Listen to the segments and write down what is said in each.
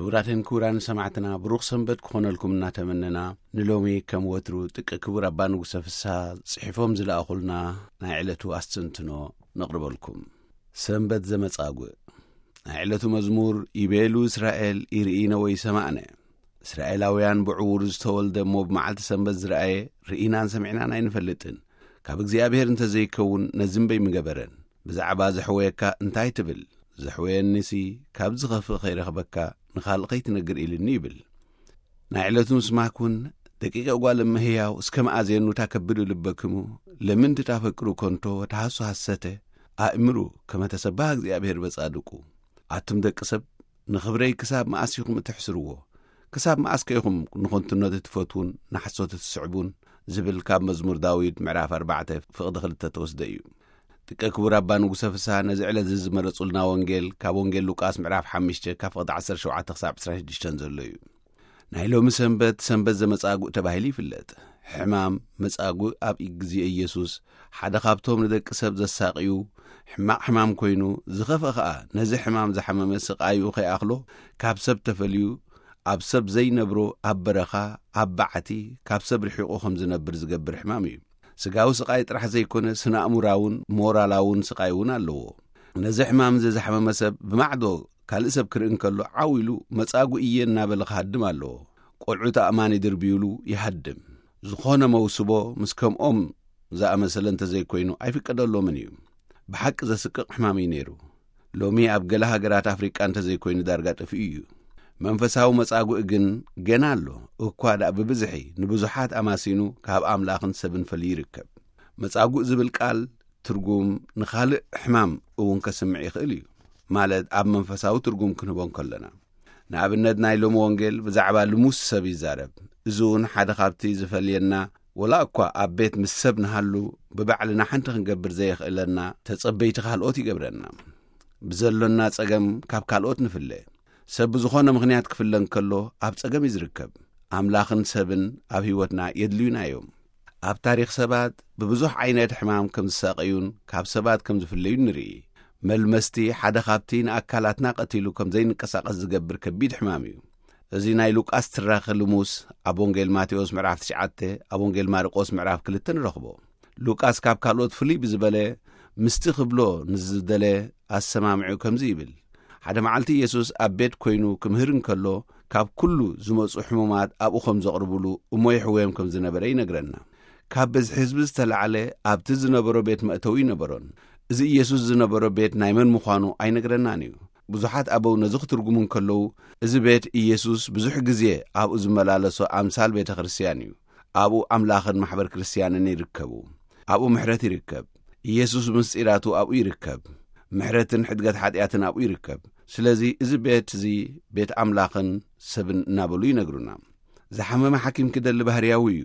ክቡራትን ክቡራን ሰማዕትና፣ ብሩኽ ሰንበት ክኾነልኩም እናተመነና፣ ንሎሚ ከም ወትሩ ጥቀ ክቡር ኣባ ንጉሰ ፍስሃ ጽሒፎም ዝለኣኹልና ናይ ዕለቱ ኣስተንትኖ ነቕርበልኩም። ሰንበት ዘመጻጉእ። ናይ ዕለቱ መዝሙር፣ ይቤሉ እስራኤል፣ ይርኢነ ወይ ሰማዕነ። እስራኤላውያን ብዕዉር ዝተወልደ እሞ ብመዓልቲ ሰንበት ዝረኣየ ርኢናን ሰሚዕናን ኣይንፈልጥን። ካብ እግዚኣብሔር እንተ ዘይከውን ነዚ እምበይ ምገበረን። ብዛዕባ ዘሕወየካ እንታይ ትብል? ዘሕወየኒሲ ካብ ዝኸፍእ ከይረኽበካ ንኻልእ ከይትነግር ኢልኒ ይብል። ናይ ዕለቱ ምስማክ እውን፣ ደቂቀ ጓል እመ ህያው እስከ መኣዜኑ ታከብዱ ልበክሙ፣ ለምን ትታፈቅሩ ከንቶ ወተሃሱ ሐሰተ፣ ኣእምሩ ከመ ተሰባህ እግዚኣብሔር በጻድቁ። ኣቱም ደቂ ሰብ፣ ንኽብረይ ክሳብ መኣስ ኢኹም እትሕስርዎ? ክሳብ መኣስ ከ ኢኹም ንኸንቱነት እትፈትዉን ንሓሶት እትስዕቡን? ዝብል ካብ መዝሙር ዳዊት ምዕራፍ ኣርባዕተ ፍቕዲ ክልተ ተወስደ እዩ። ጥቀ ክቡር ኣባ ንጉሰ ፍስሃ ነዚ ዕለት እዚ ዝመረጹልና ወንጌል ካብ ወንጌል ሉቃስ ምዕራፍ ሓሙሽተ ካብ ፍቕዲ ዓሰርተ ሸውዓተ ክሳብ ዕስራን ሽዱሽተን ዘሎ እዩ። ናይ ሎሚ ሰንበት፣ ሰንበት ዘመጻጉእ ተባሂሉ ይፍለጥ። ሕማም መጻጉእ ኣብ ግዜ ኢየሱስ ሓደ ካብቶም ንደቂ ሰብ ዘሳቕዩ ሕማቕ ሕማም ኮይኑ፣ ዝኸፍአ ኸኣ ነዚ ሕማም ዝሓመመ ስቓዩ ከይኣኽሎ ካብ ሰብ ተፈልዩ፣ ኣብ ሰብ ዘይነብሮ ኣብ በረኻ፣ ኣብ በዓቲ፣ ካብ ሰብ ርሒቑ ከም ዝነብር ዝገብር ሕማም እዩ። ስጋዊ ስቓይ ጥራሕ ዘይኮነ፣ ስነ ኣእሙራውን ሞራላውን ስቓይ እውን ኣለዎ። ነዚ ሕማም እዚ ዝሓመመ ሰብ ብማዕዶ ካልእ ሰብ ክርኢ እንከሎ ዓው ኢሉ መጻጉእ እየ እናበለ ክሃድም ኣለዎ። ቆልዑ ተኣማኒ ድርብዩሉ ይሃድም። ዝኾነ መውስቦ ምስ ከምኦም ዝኣመሰለ እንተዘይኮይኑ ኣይፍቀደሎምን እዩ። ብሓቂ ዘስቅቕ ሕማም እዩ ነይሩ። ሎሚ ኣብ ገለ ሃገራት ኣፍሪቃ እንተዘይኮይኑ ዳርጋ ጠፊኡ እዩ። መንፈሳዊ መጻጉእ ግን ገና ኣሎ። እኳ ደኣ ብብዝሒ ንብዙሓት ኣማሲኑ ካብ ኣምላኽን ሰብን ፈልዩ ይርከብ። መጻጉእ ዝብል ቃል ትርጉም ንኻልእ ሕማም እውን ከስምዕ ይኽእል እዩ። ማለት ኣብ መንፈሳዊ ትርጉም ክንህቦ እንከለና፣ ንኣብነት ናይ ሎሚ ወንጌል ብዛዕባ ልሙስ ሰብ ይዛረብ። እዚ እውን ሓደ ካብቲ ዝፈልየና፣ ወላ እኳ ኣብ ቤት ምስ ሰብ ንሃሉ፣ ብባዕልና ሓንቲ ክንገብር ዘየኽእለና ተጸበይቲ ካልኦት ይገብረና። ብዘሎና ጸገም ካብ ካልኦት ንፍለ። ሰብ ብዝኾነ ምኽንያት ክፍለ እንከሎ ኣብ ጸገም እዩ ዝርከብ። ኣምላኽን ሰብን ኣብ ህይወትና የድልዩና እዮም። ኣብ ታሪኽ ሰባት ብብዙሕ ዓይነት ሕማም ከም ዝሳቐዩን ካብ ሰባት ከም ዝፍለዩን ንርኢ። መልመስቲ ሓደ ካብቲ ንኣካላትና ቀቲሉ ከም ዘይንቀሳቐስ ዝገብር ከቢድ ሕማም እዩ። እዚ ናይ ሉቃስ ትራኺ ልሙስ ኣብ ወንጌል ማቴዎስ ምዕራፍ ትሽዓተ፣ ኣብ ወንጌል ማርቆስ ምዕራፍ ክልተ ንረኽቦ። ሉቃስ ካብ ካልኦት ፍልይ ብዝበለ ምስቲ ክብሎ ንዝደለ ኣሰማምዑ ከምዚ ይብል። ሓደ መዓልቲ ኢየሱስ ኣብ ቤት ኮይኑ ክምህር እንከሎ፣ ካብ ኩሉ ዝመጹ ሕሙማት ኣብኡ ከም ዘቕርቡሉ እሞ ይሕወዮም ከም ዝነበረ ይነግረና። ካብ ብዝሒ ህዝቢ ዝተላዕለ ኣብቲ ዝነበሮ ቤት መእተዊ ኣይነበሮን። እዚ ኢየሱስ ዝነበሮ ቤት ናይ መን ምዃኑ ኣይነግረናን እዩ። ብዙሓት ኣበው ነዚ ክትርጉሙ እንከለዉ፣ እዚ ቤት ኢየሱስ ብዙሕ ግዜ ኣብኡ ዝመላለሶ ኣምሳል ቤተ ክርስቲያን እዩ። ኣብኡ ኣምላኽን ማሕበር ክርስቲያንን ይርከቡ። ኣብኡ ምሕረት ይርከብ። ኢየሱስ ምስጢራቱ ኣብኡ ይርከብ። ምሕረትን ሕድገት ሓጢኣትን ኣብኡ ይርከብ። ስለዚ እዚ ቤት እዚ ቤት ኣምላኽን ሰብን እናበሉ ይነግሩና። ዝሓመመ ሓኪም ክደሊ ባህርያዊ እዩ።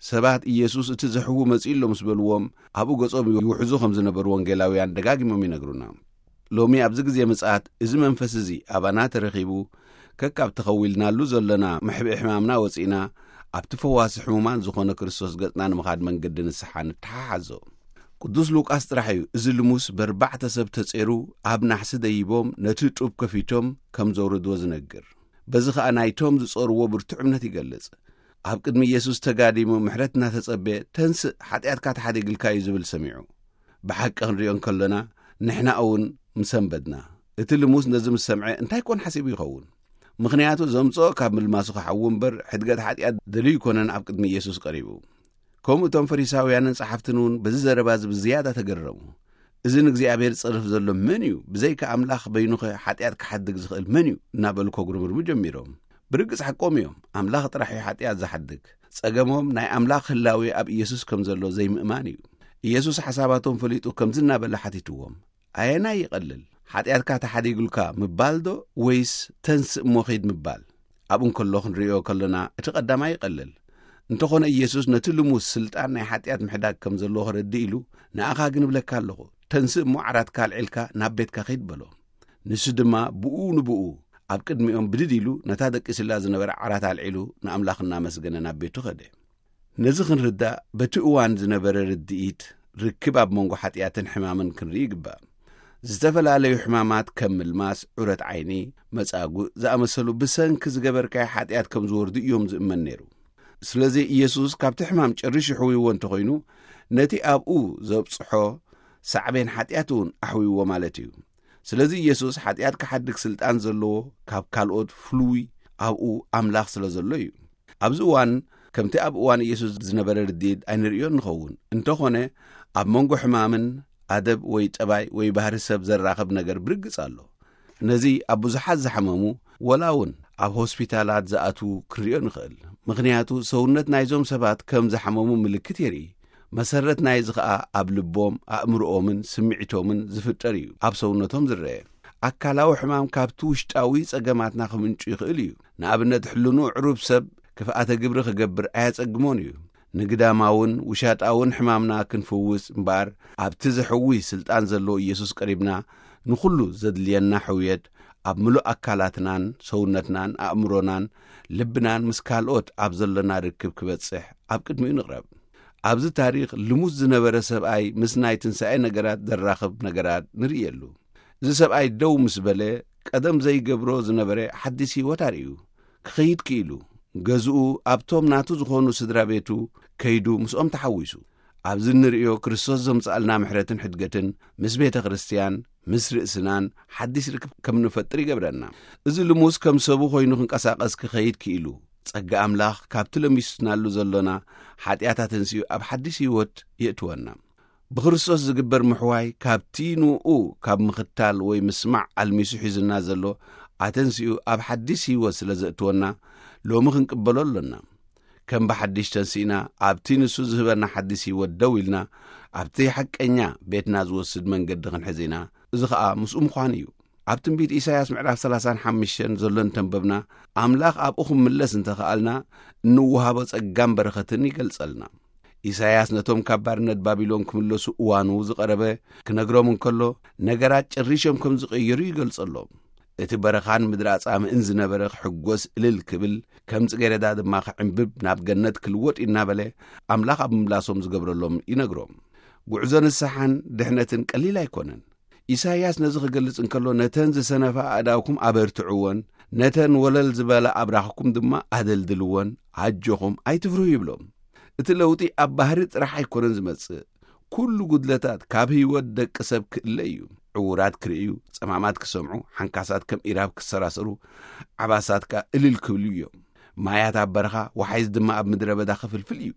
ሰባት ኢየሱስ እቲ ዘሕዉ መጺኡ ኣሎ ምስ በልዎም፣ ኣብኡ ገጾም ይውሕዙ ከም ዝነበሩ ወንጌላውያን ደጋጊሞም ይነግሩና። ሎሚ ኣብዚ ግዜ ምጽኣት እዚ መንፈስ እዚ ኣባና ተረኺቡ፣ ከካብ ተኸዊልናሉ ዘለና መሕብኢ ሕማምና ወጺእና፣ ኣብቲ ፈዋሲ ሕሙማን ዝኾነ ክርስቶስ ገጽና ንምኻድ መንገዲ ንስሓ ንተሓሓዞ። ቅዱስ ሉቃስ ጥራሕ እዩ እዚ ልሙስ በርባዕተ ሰብ ተጼሩ ኣብ ናሕሲ ደይቦም ነቲ ጡብ ከፊቶም ከም ዘውረድዎ ዝነግር። በዚ ኸኣ ናይቶም ዝጾርዎ ብርቱዕ እምነት ይገልጽ። ኣብ ቅድሚ ኢየሱስ ተጋዲሙ ምሕረት እናተጸበየ፣ "ተንስእ፣ ሓጢኣትካ ተሓዲግልካ እዩ" ዝብል ሰሚዑ። ብሓቂ ክንሪኦ እንከሎና፣ ንሕና እውን ምሰንበድና። እቲ ልሙስ ነዚ ምስ ሰምዐ እንታይ ኮን ሓሲቡ ይኸውን? ምኽንያቱ ዘምጽኦ ካብ ምልማሱ ክሓዊ እምበር፣ ሕድገት ሓጢኣት ደልዩ ኣይኮነን ኣብ ቅድሚ ኢየሱስ ቀሪቡ። ከምኡ እቶም ፈሪሳውያንን ጸሓፍትን እውን በዚ ዘረባ እዚ ብዝያዳ ተገረሙ። "እዚ ንእግዚኣብሔር ዝጸርፍ ዘሎ መን እዩ? ብዘይካ ኣምላኽ በይኑኸ ሓጢኣት ክሓድግ ዝኽእል መን እዩ?" እናበሉ ከጉርምርሙ ጀሚሮም። ብርግጽ ሓቆም እዮም። ኣምላኽ ጥራሕ እዩ ሓጢኣት ዝሓድግ። ጸገሞም ናይ ኣምላኽ ህላዌ ኣብ ኢየሱስ ከም ዘሎ ዘይምእማን እዩ። ኢየሱስ ሓሳባቶም ፈሊጡ ከምዚ እናበለ ሓቲትዎም፣ "ኣየናይ ይቐልል? ሓጢኣትካ ተሓዲጉልካ ምባል ዶ ወይስ ተንስእ እሞ ኺድ ምባል?" ኣብኡ እንከሎ ክንርእዮ ከሎና እቲ ቀዳማይ ይቐልል። እንተኾነ ኢየሱስ ነቲ ልሙስ ስልጣን ናይ ሓጢኣት ምሕዳግ ከም ዘለዎ ከረድእ ኢሉ፣ "ንኣኻ ግን እብለካ ኣለኹ፣ ተንስእ እሞ ዓራትካ ኣልዒልካ ናብ ቤትካ ኺድ" በሎ። ንሱ ድማ ብኡ ንብኡ ኣብ ቅድሚኦም ብድድ ኢሉ ነታ ደቂሱላ ዝነበረ ዓራት ኣልዒሉ ንኣምላኽ እናመስገነ ናብ ቤቱ ኸደ። ነዚ ክንርዳእ በቲ እዋን ዝነበረ ርድኢት ርክብ ኣብ መንጎ ሓጢኣትን ሕማምን ክንርኢ ይግባእ። ዝተፈላለዩ ሕማማት ከም ምልማስ፣ ዑረት ዓይኒ፣ መጻጉእ ዝኣመሰሉ ብሰንኪ ዝገበርካዮ ሓጢኣት ከም ዝወርዱ እዮም ዝእመን ነይሩ። ስለዚ ኢየሱስ ካብቲ ሕማም ጨሪሹ ይሕውይዎ እንተኾይኑ፣ ነቲ ኣብኡ ዘብጽሖ ሳዕቤን ሓጢኣት እውን ኣሕውይዎ ማለት እዩ። ስለዚ ኢየሱስ ሓጢኣት ክሓድግ ስልጣን ዘለዎ፣ ካብ ካልኦት ፍሉይ ኣብኡ ኣምላኽ ስለ ዘሎ እዩ። ኣብዚ እዋን ከምቲ ኣብ እዋን ኢየሱስ ዝነበረ ርድኢት ኣይንርእዮን ንኸውን። እንተኾነ ኣብ መንጎ ሕማምን ኣደብ ወይ ጠባይ ወይ ባህሪ ሰብ ዘራኽብ ነገር ብርግጽ ኣሎ። ነዚ ኣብ ብዙሓት ዝሓመሙ፣ ወላ እውን ኣብ ሆስፒታላት ዝኣትዉ ክንርእዮ ንኽእል። ምኽንያቱ ሰውነት ናይዞም ሰባት ከም ዝሓመሙ ምልክት የርኢ። መሰረት ናይዚ ኸኣ ኣብ ልቦም፣ ኣእምሮኦምን ስምዒቶምን ዝፍጠር እዩ ኣብ ሰውነቶም ዝረአ። ኣካላዊ ሕማም ካብቲ ውሽጣዊ ጸገማትና ክምንጩ ይኽእል እዩ። ንኣብነት፣ ሕልኑ ዕሩብ ሰብ ክፍኣተ ግብሪ ክገብር ኣየጸግሞን እዩ። ንግዳማውን ውሻጣውን ሕማምና ክንፍውስ እምበኣር፣ ኣብቲ ዘሕዊ ስልጣን ዘለዎ ኢየሱስ ቀሪብና፣ ንኹሉ ዘድልየና ሕውየት ኣብ ምሉእ ኣካላትናን ሰውነትናን ኣእምሮናን ልብናን ምስ ካልኦት ኣብ ዘሎና ርክብ ክበጽሕ ኣብ ቅድሚኡ ንቕረብ። ኣብዚ ታሪኽ ልሙስ ዝነበረ ሰብኣይ ምስ ናይ ትንሳኤ ነገራት ዘራኽብ ነገራት ንርእየሉ። እዚ ሰብኣይ ደው ምስ በለ፣ ቀደም ዘይገብሮ ዝነበረ ሓዲስ ህይወት ኣርእዩ። ክኸይድ ክኢሉ፣ ገዝኡ ኣብቶም ናቱ ዝኾኑ ስድራ ቤቱ ከይዱ ምስኦም ተሓዊሱ። ኣብዚ እንርእዮ ክርስቶስ ዘምጽኣልና ምሕረትን ሕድገትን ምስ ቤተ ክርስትያን፣ ምስ ርእስናን ሓዲስ ርክብ ከም ንፈጥር ይገብረና። እዚ ልሙስ ከም ሰቡ ኮይኑ ክንቀሳቐስ ክኸይድ ክኢሉ፣ ጸጋ ኣምላኽ ካብቲ ለሚስናሉ ዘሎና ሓጢኣት ኣተንስኡ ኣብ ሓዲስ ህይወት የእትወና። ብክርስቶስ ዝግበር ምሕዋይ ካብቲ ንኡ ካብ ምኽታል ወይ ምስማዕ ኣልሚሱ ሒዙና ዘሎ ኣተንስኡ ኣብ ሓዲስ ህይወት ስለ ዘእትወና፣ ሎሚ ክንቅበሎ ኣሎና። ከም ብሓድሽ ተንሲእና፣ ኣብቲ ንሱ ዝህበና ሓድሽ ህይወት ደው ኢልና፣ ኣብቲ ሓቀኛ ቤትና ዝወስድ መንገዲ ክንሕዝ ኢና። እዚ ኸኣ ምስኡ ምዃን እዩ። ኣብ ትንቢት ኢሳይያስ ምዕራፍ ሰላሳን ሓሙሽተን ዘሎ እንተንበብና፣ ኣምላኽ ኣብኡ ክምለስ እንተኸኣልና፣ እንወሃቦ ጸጋን በረኸትን ይገልጸልና። ኢሳይያስ ነቶም ካብ ባርነት ባቢሎን ክምለሱ እዋኑ ዝቐረበ ክነግሮም እንከሎ፣ ነገራት ጨሪሾም ከም ዝቐየሩ ይገልጸሎም። እቲ በረኻን ምድሪ ኣጻምእን ዝነበረ ክሕጎስ እልል ክብል፣ ከም ጽጌረዳ ድማ ክዕንብብ ናብ ገነት ክልወጥ እዩ እናበለ፣ ኣምላኽ ኣብ ምምላሶም ዝገብረሎም ይነግሮም። ጉዕዞ ንስሓን ድሕነትን ቀሊል ኣይኮነን። ኢሳይያስ ነዚ ክገልጽ እንከሎ፣ "ነተን ዝሰነፋ ኣእዳውኩም ኣበርትዕወን፣ ነተን ወለል ዝበላ ኣብራኽኩም ድማ ኣደልድልወን፣ ኣጆኹም ኣይትፍርሁ" ይብሎም። እቲ ለውጢ ኣብ ባህሪ ጥራሕ ኣይኮነን ዝመጽእ። ኩሉ ጉድለታት ካብ ህይወት ደቂ ሰብ ክእለ እዩ። ዕዉራት ክርእዩ፣ ጸማማት ክሰምዑ፣ ሓንካሳት ከም ኢራብ ክሰራሰሩ፣ ዓባሳት ከኣ እልል ክብሉ እዮም። ማያት ኣብ በረኻ፣ ወሓይዝ ድማ ኣብ ምድረ በዳ ክፍልፍል እዩ።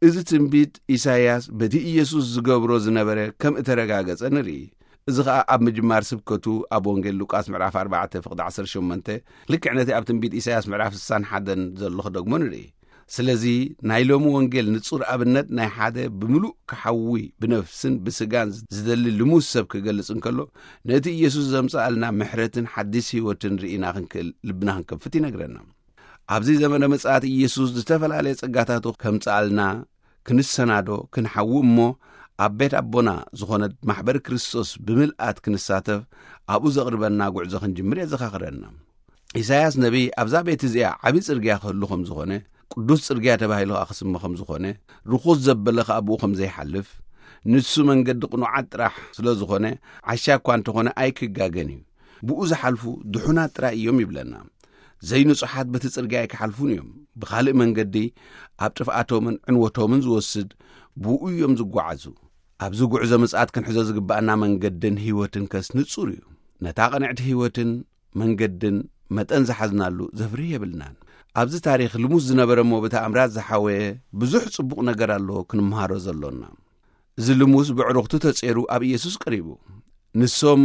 እዚ ትንቢት ኢሳይያስ በቲ ኢየሱስ ዝገብሮ ዝነበረ ከም እተረጋገጸ ንርኢ። እዚ ኸኣ ኣብ ምጅማር ስብከቱ ኣብ ወንጌል ሉቃስ ምዕራፍ ኣርባዕተ ፍቕዲ ዓሰርተ ሸሞንተ፣ ልክዕ ነቲ ኣብ ትንቢት ኢሳይያስ ምዕራፍ ስሳን ሓደን ዘሎ ክደግሞ ንርኢ። ስለዚ ናይ ሎሚ ወንጌል ንጹር ኣብነት ናይ ሓደ ብምሉእ ክሓዊ ብነፍስን ብስጋን ዝደሊ ልሙስ ሰብ ክገልጽ እንከሎ፣ ነቲ ኢየሱስ ዘምጽኣልና ምሕረትን ሓዲስ ህይወትን ርኢና ክንክእል ልብና ክንከፍት ይነግረና። ኣብዚ ዘመነ ምጽኣት ኢየሱስ ዝተፈላለየ ጸጋታቱ ከምጽኣልና ክንሰናዶ ክንሓዊ እሞ፣ ኣብ ቤት ኣቦና ዝኾነት ማሕበር ክርስቶስ ብምልኣት ክንሳተፍ ኣብኡ ዘቕርበና ጉዕዞ ክንጅምር የዘኻኽረና። ኢሳይያስ ነቢይ ኣብዛ ቤት እዚኣ ዓቢ ጽርግያ ክህሉ ከም ዝኾነ፣ ቅዱስ ጽርግያ ተባሂሉ ኸኣ ክስመ ከም ዝኾነ፣ ርኹስ ዘበለ ኸኣ ብኡ ከም ዘይሓልፍ፣ ንሱ መንገዲ ቅኑዓት ጥራሕ ስለ ዝኾነ፣ ዓሻ እኳ እንተኾነ ኣይክጋገን እዩ። ብኡ ዝሓልፉ ድሑናት ጥራይ እዮም ይብለና። ዘይንጹሓት በቲ ጽርግያ ኣይክሓልፉን እዮም። ብኻልእ መንገዲ ኣብ ጥፍኣቶምን ዕንወቶምን ዝወስድ ብኡ እዮም ዝጓዓዙ። ኣብዚ ጉዕዞ ምጽኣት ክንሕዞ ዝግብኣና መንገድን ህይወትን ከስ ንጹር እዩ። ነታ ቅንዕቲ ህይወትን መንገድን መጠን ዝሓዝናሉ ዘፍርህ የብልናን። ኣብዚ ታሪኽ ልሙስ ዝነበረ እሞ ብተኣምራት ዝሓወየ ብዙሕ ጽቡቕ ነገር ኣሎ ክንምሃሮ ዘሎና። እዚ ልሙስ ብዕሩኽቱ ተጼሩ ኣብ ኢየሱስ ቀሪቡ። ንሶም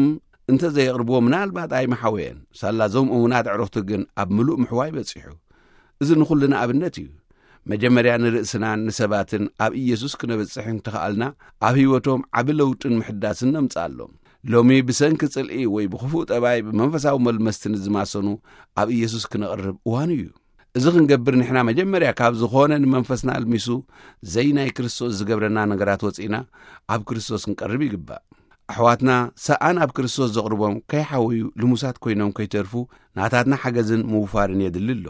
እንተ ዘየቕርብዎ ምናልባት ኣይምሓወየን። ሳላ እዞም እሙናት ኣዕሩኽቲ ግን ኣብ ምሉእ ምሕዋይ በጺሑ። እዚ ንኹልና ኣብነት እዩ። መጀመርያ ንርእስናን ንሰባትን ኣብ ኢየሱስ ክነበጽሕ እንተኸኣልና፣ ኣብ ህይወቶም ዓቢ ለውጥን ምሕዳስን ነምጽኣሎም። ሎሚ ብሰንኪ ጽልኢ ወይ ብኽፉእ ጠባይ ብመንፈሳዊ መልመስቲ ንዝማሰኑ ኣብ ኢየሱስ ክነቕርብ እዋኑ እዩ። እዚ ክንገብር ንሕና መጀመርያ ካብ ዝኾነ ንመንፈስና ኣልሚሱ ዘይናይ ክርስቶስ ዝገብረና ነገራት ወጺእና ኣብ ክርስቶስ ክንቀርብ ይግባእ። ኣሕዋትና ሰኣን ኣብ ክርስቶስ ዘቕርቦም ከይሓወዩ ልሙሳት ኮይኖም ከይተርፉ ናታትና ሓገዝን ምውፋርን የድሊ ኣሎ።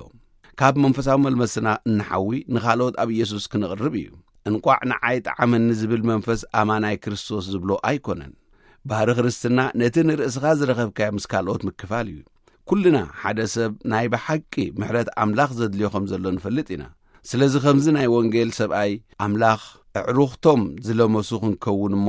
ካብ መንፈሳዊ መልመስና እንሓዊ ንኻልኦት ኣብ ኢየሱስ ክንቕርብ እዩ። እንቋዕ ንዓይ ጠዓመኒ ዝብል መንፈስ ኣማናይ ክርስቶስ ዝብሎ ኣይኮነን። ባህሪ ክርስትና ነቲ ንርእስኻ ዝረኸብካዮ ምስ ካልኦት ምክፋል እዩ። ኩልና ሓደ ሰብ ናይ ብሓቂ ምሕረት ኣምላኽ ዘድልዮ ከም ዘሎ ንፈልጥ ኢና። ስለዚ ከምዚ ናይ ወንጌል ሰብኣይ ኣምላኽ ኣዕሩኽቶም ዝለመሱ ክንከውን እሞ፣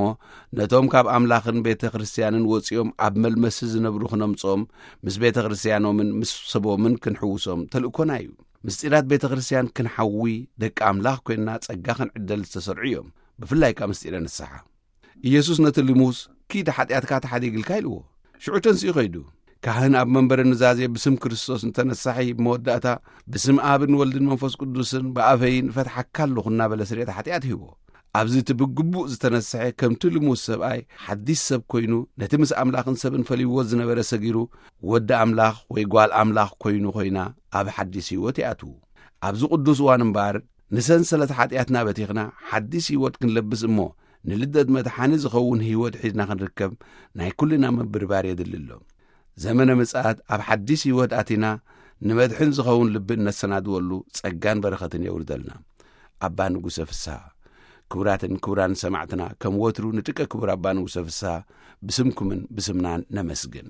ነቶም ካብ ኣምላኽን ቤተ ክርስቲያንን ወጺኦም ኣብ መልመሲ ዝነብሩ ክነምጽኦም፣ ምስ ቤተ ክርስቲያኖምን ምስ ሰቦምን ክንሕውሶም ተልእኮና እዩ። ምስጢራት ቤተ ክርስቲያን ክንሓዊ ደቂ ኣምላኽ ኮይንና ጸጋ ክንዕደል ዝተሰርዑ እዮም። ብፍላይ ከኣ ምስጢረ ንስሓ። ኢየሱስ ነቲ ልሙስ "ኪድ ሓጢኣትካ ተሓዲግልካ" ኢልዎ። ሽዑ ተንሲኡ ከይዱ። ካህን ኣብ መንበረ ኑዛዜ ብስም ክርስቶስ ንተነሳሒ ብመወዳእታ "ብስም ኣብን ወልድን መንፈስ ቅዱስን ብኣፈይ ንፈትሓካ ኣለኹ" እናበለ ስርየት ሓጢኣት ሂቦ። ኣብዚ እቲ ብግቡእ ዝተነስሐ ከምቲ ልሙስ ሰብኣይ ሓዲስ ሰብ ኮይኑ ነቲ ምስ ኣምላኽን ሰብን ፈሊዎ ዝነበረ ሰጊሩ ወዲ ኣምላኽ ወይ ጓል ኣምላኽ ኮይኑ ኮይና ኣብ ሓዲስ ህይወት ይኣትዉ። ኣብዚ ቅዱስ እዋን እምበኣር ንሰንሰለት ሓጢኣትና በቲኽና ሓዲስ ህይወት ክንለብስ እሞ ንልደት መድሓኒ ዝኸውን ህይወት ሒዝና ክንርከብ ናይ ኩልና ምብርባር የድሊ ኣሎ። ዘመነ ምጽኣት ኣብ ሓዲስ ህይወት ኣቲና ንመድሕን ዝኸውን ልቢ እነሰናድወሉ ጸጋን በረኸትን የውርደልና። ኣባ ንጉሰ ፍስሃ። ክቡራትን ክቡራን ሰማዕትና፣ ከም ወትሩ ንጥቀ ክቡር ኣባ ንጉሰ ፍስሃ ብስምኩምን ብስምናን ነመስግን።